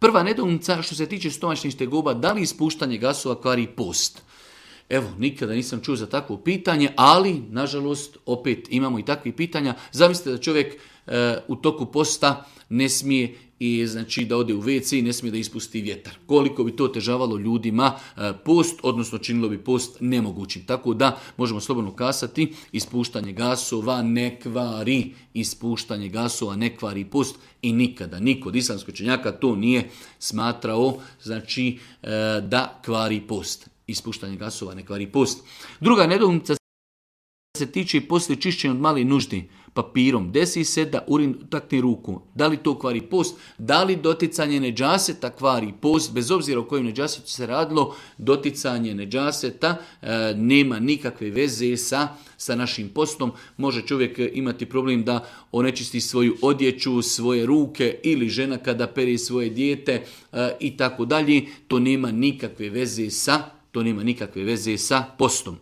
Prva nedoumica što se tiče stomačnih tegoba, da li ispuštanje gasova kvari post? Evo, nikada nisam čuo za takvo pitanje, ali, nažalost, opet imamo i takvih pitanja. Zamislite da čovjek u toku posta ne smije i znači da ode u WC i ne smije da ispusti vjetar. Koliko bi to otežavalo ljudima post, odnosno činilo bi post nemogućim. Tako da možemo slobodno kasati, ispuštanje gasova ne kvari, ispuštanje gasova ne kvari post i nikada niko od islamskih učenjaka to nije smatrao znači da kvari post. Ispuštanje gasova ne kvari post. Druga nedoumica se tiče poslije čišćenja od male nuždi papirom. Desi se da urin takne ruku. Da li to kvari post? Da li doticanje neđaseta kvari post? Bez obzira o kojem neđasetu se radilo, doticanje neđaseta nema nikakve veze sa našim postom. Može čovjek imati problem da onečisti svoju odjeću, svoje ruke ili žena kada pere svoje dijete i tako dalje. To nema nikakve veze sa postom.